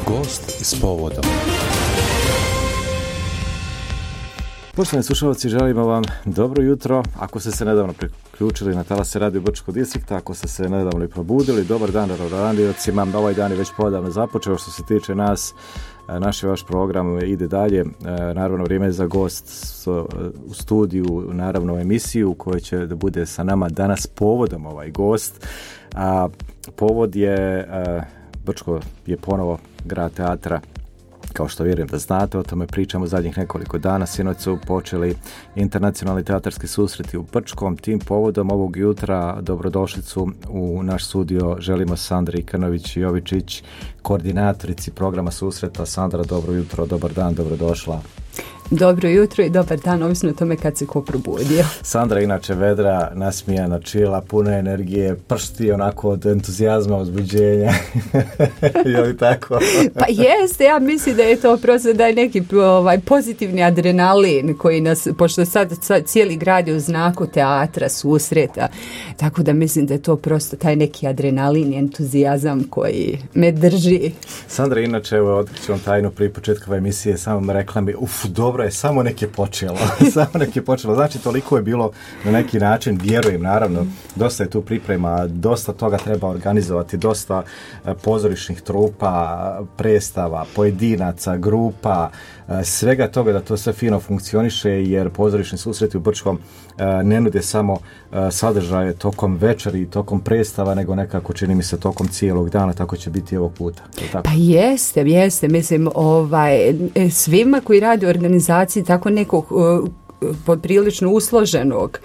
Gost s povodom. Poštovani slušalci, želimo vam dobro jutro. Ako ste se nedavno priključili na talase Radio Brčkog distrikta, ako ste se nedavno i probudili, dobar dan radiocima. Ovaj dan je već podavno započeo. Što se tiče nas, naš i vaš program ide dalje. Naravno, vrijeme je za gost u studiju, naravno emisiju koja će da bude sa nama danas povodom ovaj gost. A povod je, Brčko je ponovo grad teatra. Kao što vjerujem da znate, o tome pričamo zadnjih nekoliko dana. Sinoć su počeli internacionalni teatarski susreti u Brčkom. Tim povodom ovog jutra dobrodošlicu u naš studio želimo Sandri Krnović-Jovičić, koordinatorici programa susreta. Sandra, dobro jutro, dobar dan, dobrodošla. Dobro jutro i dobar dan, ovisno o tome kad se ko probudio. Sandra inače vedra, nasmijana, čila, puna energije, pršti onako od entuzijazma, uzbuđenja. Je li tako? Pa jeste, ja mislim da je to prosto da je neki pozitivni adrenalin koji nas, pošto sad cijeli grad je u znaku teatra, susreta, tako da mislim da je to prosto taj neki adrenalin i entuzijazam koji me drži. Sandra, inače, evo, otkriću vam tajnu prije početka emisije, samo rekla mi, dobro je, samo nek je počelo. Znači, toliko je bilo na neki način, vjerujem, naravno, dosta je tu priprema, dosta toga treba organizovati, dosta pozorišnih trupa, predstava, pojedinaca, grupa, svega toga da to sve fino funkcioniše, jer pozorišni susreti u Brčkom ne nude samo sadržaje tokom večeri i tokom predstava, nego nekako čini mi se tokom cijelog dana, tako će biti ovog puta. Pa jeste, mislim, svima koji rade u organizaciji tako nekog poprilično usloženog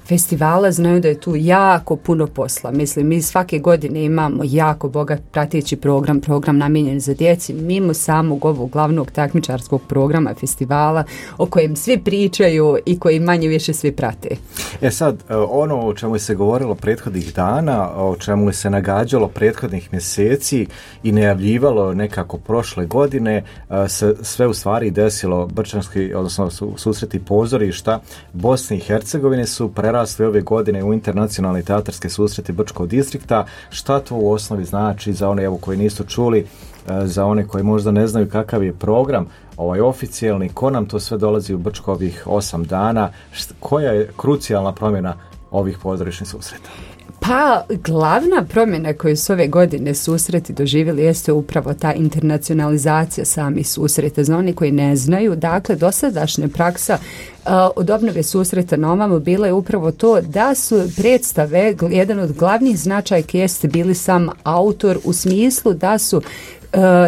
festivala znaju da je tu jako puno posla. Mislim, mi svake godine imamo jako bogat prateći program namijenjen za djeci, mimo samog ovog glavnog takmičarskog programa festivala o kojem svi pričaju i koji manje više svi prate. Sad, ono o čemu se govorilo prethodnih dana, o čemu se nagađalo prethodnih mjeseci i najavljivalo nekako prošle godine, se sve u stvari desilo. Brčanski, odnosno susreti pozorišta Bosne i Hercegovine su prerasli ove godine u internacionalni teatarske susreti Brčkog distrikta. Šta to u osnovi znači za one koji nisu čuli, za one koji možda ne znaju kakav je program oficijalni, ko nam to sve dolazi u Brčko ovih 8 dana, koja je krucijalna promjena ovih pozorišnih susreta? Pa, glavna promjena koju su ove godine susreti doživjeli jeste upravo ta internacionalizacija samih susreta. Za oni koji ne znaju, dakle, dosadašnja praksa od obnove susreta na ovamo bila je upravo to da su predstave, jedan od glavnih značajki jeste bili sam autor, u smislu da su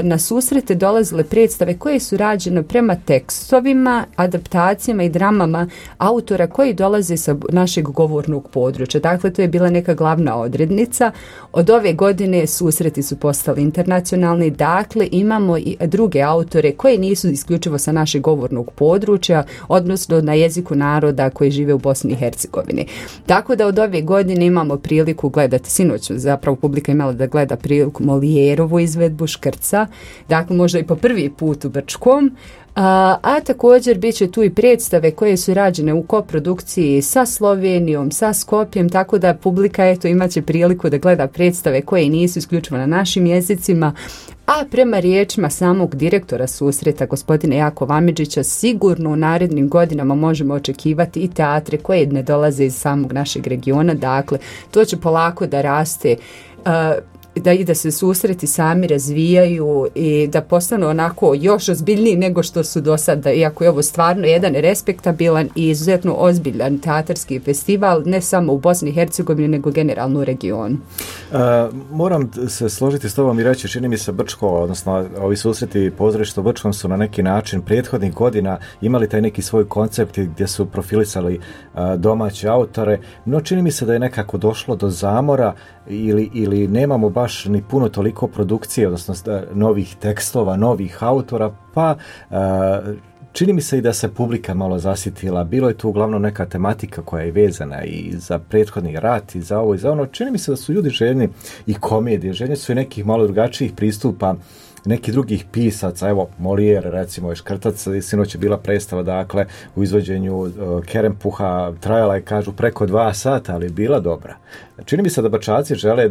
na susrete dolazile predstave koje su rađene prema tekstovima, adaptacijama i dramama autora koji dolaze sa našeg govornog područja. Dakle, to je bila neka glavna odrednica. Od ove godine susreti su postali internacionalni, dakle imamo i druge autore koji nisu isključivo sa našeg govornog područja, odnosno na jeziku naroda koji žive u Bosni i Hercegovini. Tako da od ove godine imamo priliku gledati, sinoć zapravo publika imala da gleda priliku Molijerovu izvedbu Škrca, dakle možda i po prvi put u Brčkom, a također bit će tu i predstave koje su rađene u koprodukciji sa Slovenijom, sa Skopjem, tako da publika imat će priliku da gleda predstave koje nisu isključivo na našim jezicima, a prema riječima samog direktora susreta, gospodina Jakova Amidžića, sigurno u narednim godinama možemo očekivati i teatre koje ne dolaze iz samog našeg regiona, dakle to će polako da raste, da se susreti sami razvijaju i da postanu onako još ozbiljniji nego što su do sada, iako je ovo stvarno jedan respektabilan i izuzetno ozbiljan teatarski festival, ne samo u Bosni i Hercegovini, nego generalno u regionu. Moram se složiti s tobom i reći, čini mi se Brčko, odnosno ovi susreti pozorišta u Brčkom su na neki način prethodnih godina imali taj neki svoj koncept gdje su profilisali domaće autore, no čini mi se da je nekako došlo do zamora ili nemamo baš ni puno toliko produkcije, odnosno novih tekstova, novih autora, pa čini mi se i da se publika malo zasitila. Bilo je tu uglavnom neka tematika koja je vezana i za prethodni rat i za ovo i za ono. Čini mi se da su ljudi željni i komedije, željni su i nekih malo drugačijih pristupa neki drugih pisaca, evo Molière recimo je Škrtac, sinoć je bila predstava dakle u izvođenju Kerempuha, trajala je kažu preko 2 sata, ali bila dobra. Čini mi se da Bačaci žele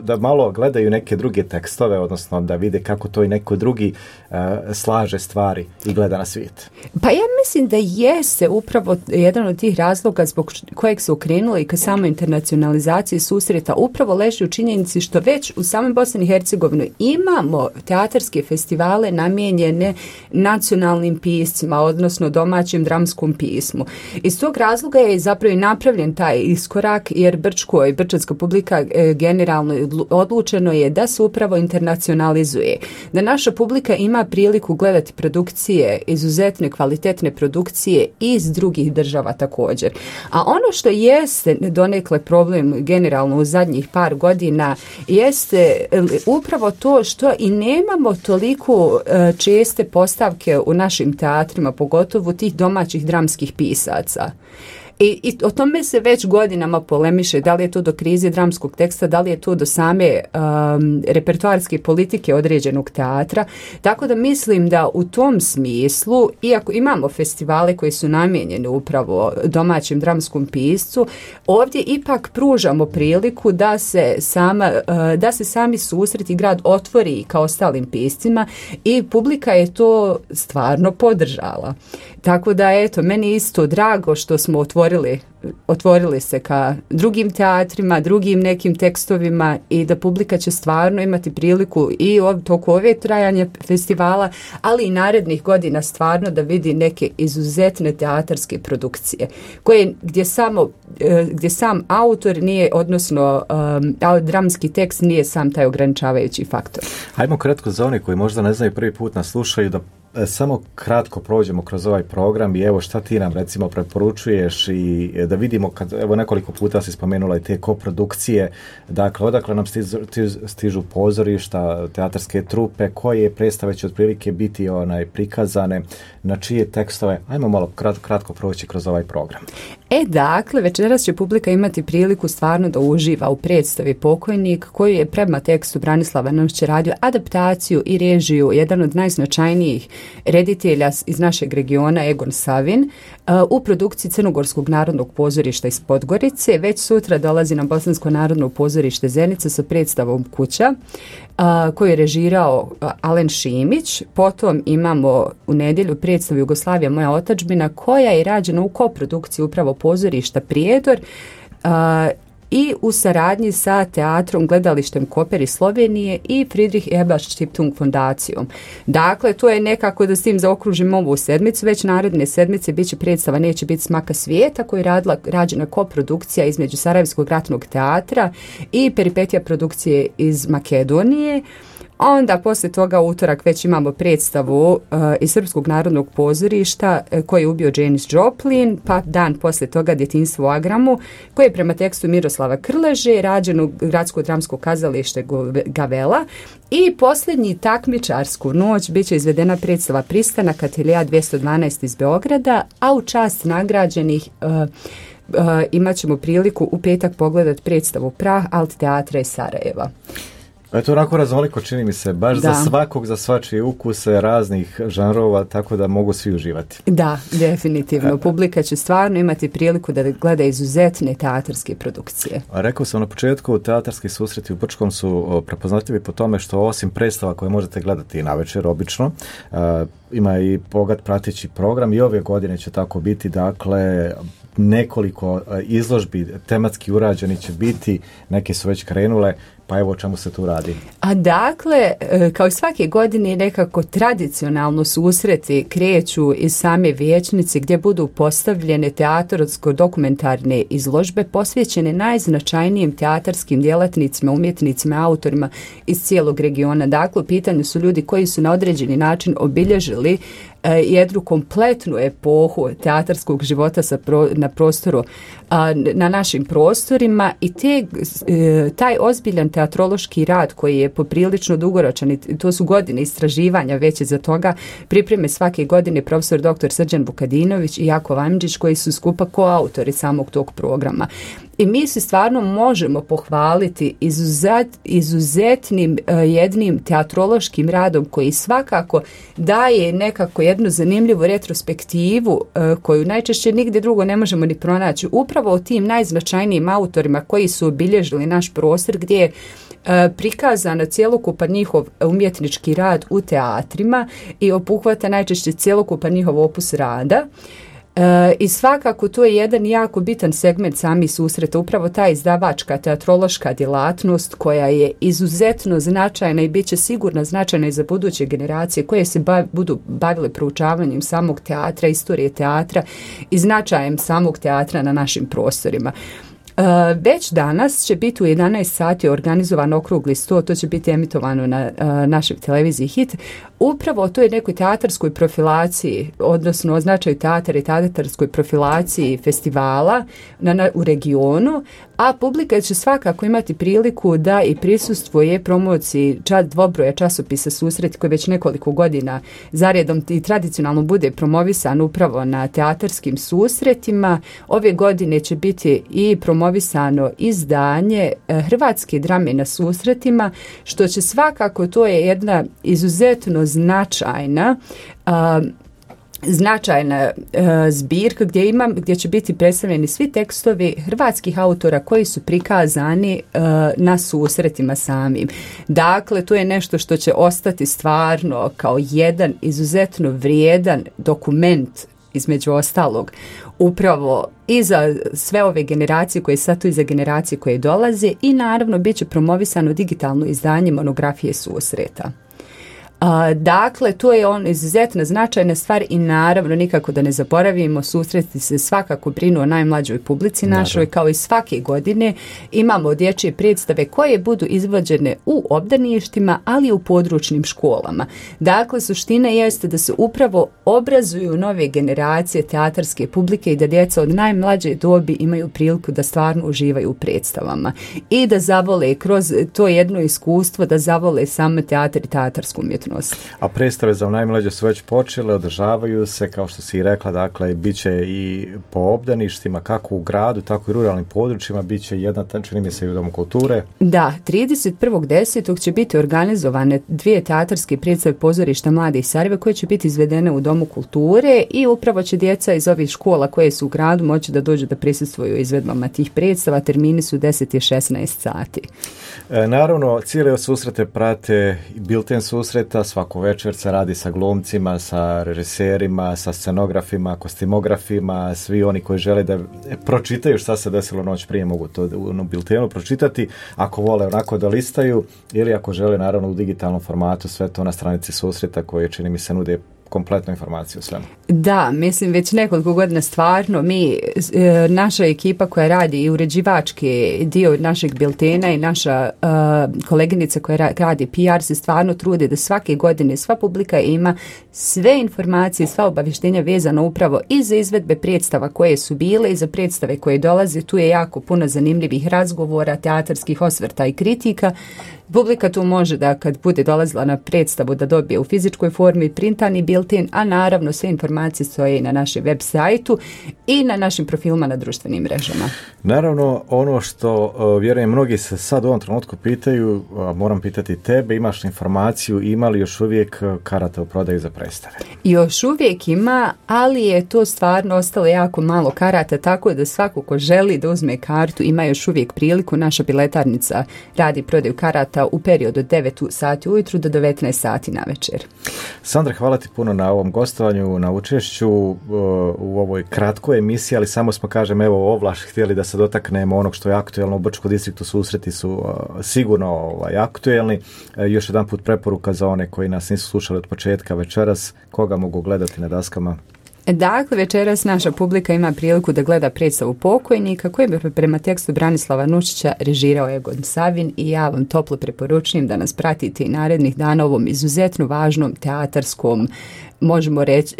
da malo gledaju neke druge tekstove, odnosno da vide kako to i neko drugi slaže stvari i gleda na svijet. Pa ja mislim da jeste upravo jedan od tih razloga zbog kojeg su okrenuli ka samoj internacionalizaciji susreta upravo leži u činjenici što već u samoj Bosni i Hercegovini imamo teatarske festivale namijenjene nacionalnim piscima, odnosno domaćem dramskom pismu. Iz tog razloga je zapravo i napravljen taj iskorak, jer Brčko i brčanska publika generalno odlučeno je da se upravo internacionalizuje. Da naša publika ima priliku gledati produkcije, izuzetne kvalitetne produkcije iz drugih država također. A ono što jeste donekle problem generalno u zadnjih par godina jeste upravo to što i nemamo toliko česte postavke u našim teatrima, pogotovo tih domaćih dramskih pisaca. I o tome se već godinama polemiše, da li je to do krize dramskog teksta, da li je to do same repertoarske politike određenog teatra, tako da mislim da u tom smislu, iako imamo festivale koji su namijenjeni upravo domaćem dramskom piscu, ovdje ipak pružamo priliku da se sami susret i grad otvori kao ostalim piscima i publika je to stvarno podržala. Tako da, eto, meni je isto drago što smo otvorili se ka drugim teatrima, drugim nekim tekstovima i da publika će stvarno imati priliku i toku ove trajanja festivala, ali i narednih godina stvarno da vidi neke izuzetne teatarske produkcije gdje sam autor nije, odnosno dramski tekst nije sam taj ograničavajući faktor. Hajmo kratko za one koji možda ne znaju, prvi put nas slušaju, da samo kratko prođemo kroz ovaj program i evo šta ti nam recimo preporučuješ i da vidimo, kad evo nekoliko puta si spomenula i te koprodukcije, dakle odakle nam stižu pozorišta, teatarske trupe, koje predstave će otprilike biti prikazane, na čije tekstove, ajmo malo kratko proći kroz ovaj program. Dakle, večeras će publika imati priliku stvarno da uživa u predstavi Pokojnik, koju je prema tekstu Branislava Novića radio adaptaciju i režiju jedan od najznačajnijih reditelja iz našeg regiona, Egon Savin, u produkciji Crnogorskog narodnog pozorišta iz Podgorice. Već sutra dolazi na Bosansko narodno pozorište Zenica sa predstavom Kuća, koju je režirao Alen Šimić. Potom imamo u nedjelju predstavu Jugoslavija moja otadžbina, koja je rađena u koprodukciji upravo pozorišta Prijedor i u saradnji sa teatrom Gledalištem Koper iz Slovenije i Friedrich Ebert Stiftung fondacijom. Dakle, to je nekako da s tim zaokružim ovu sedmicu. Već naredne sedmice bit će predstava Neće biti smaka svijeta, koju je rađena koprodukcija između Sarajevskog ratnog teatra i Peripetija produkcije iz Makedonije. Onda poslije toga utorak već imamo predstavu iz Srpskog narodnog pozorišta koji je ubio Janis Joplin, pa dan poslije toga Djetinjstvo u Agramu, koji je prema tekstu Miroslava Krleže rađen u Gradsko dramsko kazalište Gavela. I posljednji takmičarsku noć bit će izvedena predstava Pristanak Ateljea 212 iz Beograda, a u čast nagrađenih imat ćemo priliku u petak pogledati predstavu Prah Alt teatra iz Sarajeva. To onako raznoliko, čini mi se, baš za svakog, za svačije ukuse raznih žanrova, tako da mogu svi uživati. Da, definitivno. Publika će stvarno imati priliku da gleda izuzetne teatarske produkcije. Rekao sam na početku, teatarski susreti u Brčkom su prepoznatljivi po tome što osim predstava koje možete gledati navečer obično, ima i bogat prateći program i ove godine će tako biti, dakle nekoliko izložbi tematski urađeni će biti, neke su već krenule, pa evo o čemu se tu radi. A dakle, kao i svake godine nekako tradicionalno susreti kreću iz same vijećnice gdje budu postavljene teatarsko-dokumentarne izložbe posvećene najznačajnijim teatarskim djelatnicima, umjetnicima, autorima iz cijelog regiona. Dakle, u pitanju su ljudi koji su na određeni način obilježili jednu kompletnu epohu teatarskog života na prostoru, na našim prostorima i taj ozbiljan teatrološki rad koji je poprilično dugoročan i to su godine istraživanja već za toga pripreme svake godine profesor dr. Srđan Vukadinović i Jakov Amidžić koji su skupa koautori samog tog programa. i mi se stvarno možemo pohvaliti izuzetnim jednim teatrološkim radom koji svakako daje nekako jednu zanimljivu retrospektivu koju najčešće nigdje drugo ne možemo ni pronaći. Upravo o tim najznačajnijim autorima koji su obilježili naš prostor, gdje je prikazan cjelokupan njihov umjetnički rad u teatrima i obuhvata najčešće cjelokupan njihov opus rada. I svakako to je jedan jako bitan segment samih susreta, upravo ta izdavačka teatrološka djelatnost koja je izuzetno značajna i bit će sigurno značajna i za buduće generacije koje se budu bavile proučavanjem samog teatra, istorije teatra i značajem samog teatra na našim prostorima. Već danas će biti u 11 sati organizovan okrugli sto, to će biti emitovano na našoj televiziji Hit, upravo o toj nekoj teatarskoj profilaciji, odnosno o značaju teatara i teatarskoj profilaciji festivala u regionu, a publika će svakako imati priliku da i prisustvuje promociji dvobroja časopisa Susret koji već nekoliko godina zaredom i tradicionalno bude promovisan upravo na teatarskim susretima. Ove godine će biti i promovisano izdanje Hrvatske drame na susretima, što će svakako, to je jedna izuzetno značajna zbirka gdje će biti predstavljeni svi tekstovi hrvatskih autora koji su prikazani na susretima samim. Dakle, to je nešto što će ostati stvarno kao jedan izuzetno vrijedan dokument, između ostalog, upravo i za sve ove generacije koje sad tu i za generacije koje dolaze, i naravno bit će promovisano digitalno izdanje monografije susreta. Dakle, to je izuzetno značajna stvar i naravno nikako da ne zaboravimo, susreti se svakako brinu o najmlađoj publici našoj, kao i svake godine imamo dječje predstave koje budu izvođene u obdaništima, ali i u područnim školama. Dakle, suština jeste da se upravo obrazuju nove generacije teatarske publike i da djeca od najmlađe dobi imaju priliku da stvarno uživaju u predstavama i da zavole kroz to jedno iskustvo, da zavole samo teatar i teatarsku umjetnost. A predstave za najmlađe su već počele, održavaju se, kao što si i rekla, dakle, bit će i po obdaništima, kako u gradu, tako i ruralnim područjima, bit će jedna, čini mi se, i u Domu kulture. Da, 31.10. će biti organizovane 2 teatarske predstave pozorišta Mlade iz Sarajeva koje će biti izvedene u Domu kulture i upravo će djeca iz ovih škola koje su u gradu moći da dođu da prisustvuju izvedbama tih predstava. Termini su 10 i 16 sati. Naravno, cijele susrete prate bilten susreta, svako večer se radi sa glumcima, sa režiserima, sa scenografima, kostimografima, svi oni koji žele da pročitaju šta se desilo noć prije mogu to u biltenu pročitati, ako vole onako da listaju, ili ako žele naravno u digitalnom formatu, sve to na stranici susreta koje, čini mi se, nude kompletnu informaciju o svemu. Da, mislim već nekoliko godina stvarno naša ekipa koja radi i uređivački dio našeg biltena i naša koleginica koja radi PR se stvarno trude da svake godine sva publika ima sve informacije, sva obavještenja vezano upravo i za izvedbe predstava koje su bile i za predstave koje dolaze. Tu je jako puno zanimljivih razgovora, teatarskih osvrta i kritika. Publika tu može da kad bude dolazila na predstavu da dobije u fizičkoj formi printani bilten, a naravno sve informacije stoje i na našem web sajtu i na našim profilima na društvenim mrežama. Naravno, ono što vjerujem mnogi se sad u ovom trenutku pitaju, moram pitati tebe, imaš informaciju, ima li još uvijek karata u prodaju za predstave? Još uvijek ima, ali je to stvarno ostalo jako malo karata, tako da svako ko želi da uzme kartu ima još uvijek priliku. Naša biletarnica radi prodaju karata u periodu od 9 sati ujutru do 19 sati na večer. Sandra, hvala ti puno na ovom gostovanju, na učešću u ovoj kratkoj emisiji, ali samo smo, kažem, evo ovlaš htjeli da se dotaknemo onog što je aktuelno u Brčkom distriktu. Susreti su sigurno aktuelni. Još jedan put preporuka za one koji nas nisu slušali od početka večeras, koga mogu gledati na daskama? Dakle, večeras naša publika ima priliku da gleda predstavu Pokojnika koju bi prema tekstu Branislava Nušića režirao Egon Savin i ja vam toplo preporučujem da nas pratite i narednih dana ovom izuzetno važnom teatarskom, možemo reći,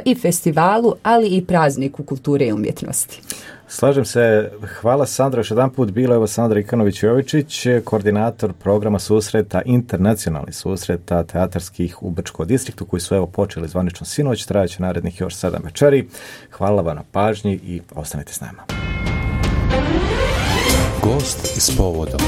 i festivalu, ali i prazniku kulture i umjetnosti. Slažem se, hvala Sandra, još jedan put bila evo Sandra Ikanović-Jovičić, koordinator programa susreta, internacionalnih susreta teatarskih u Brčkom distriktu, koji su evo počeli zvanično sinoć, trajaće narednih još 7 večeri. Hvala vam na pažnji i ostanite s nama. Gost s povodom.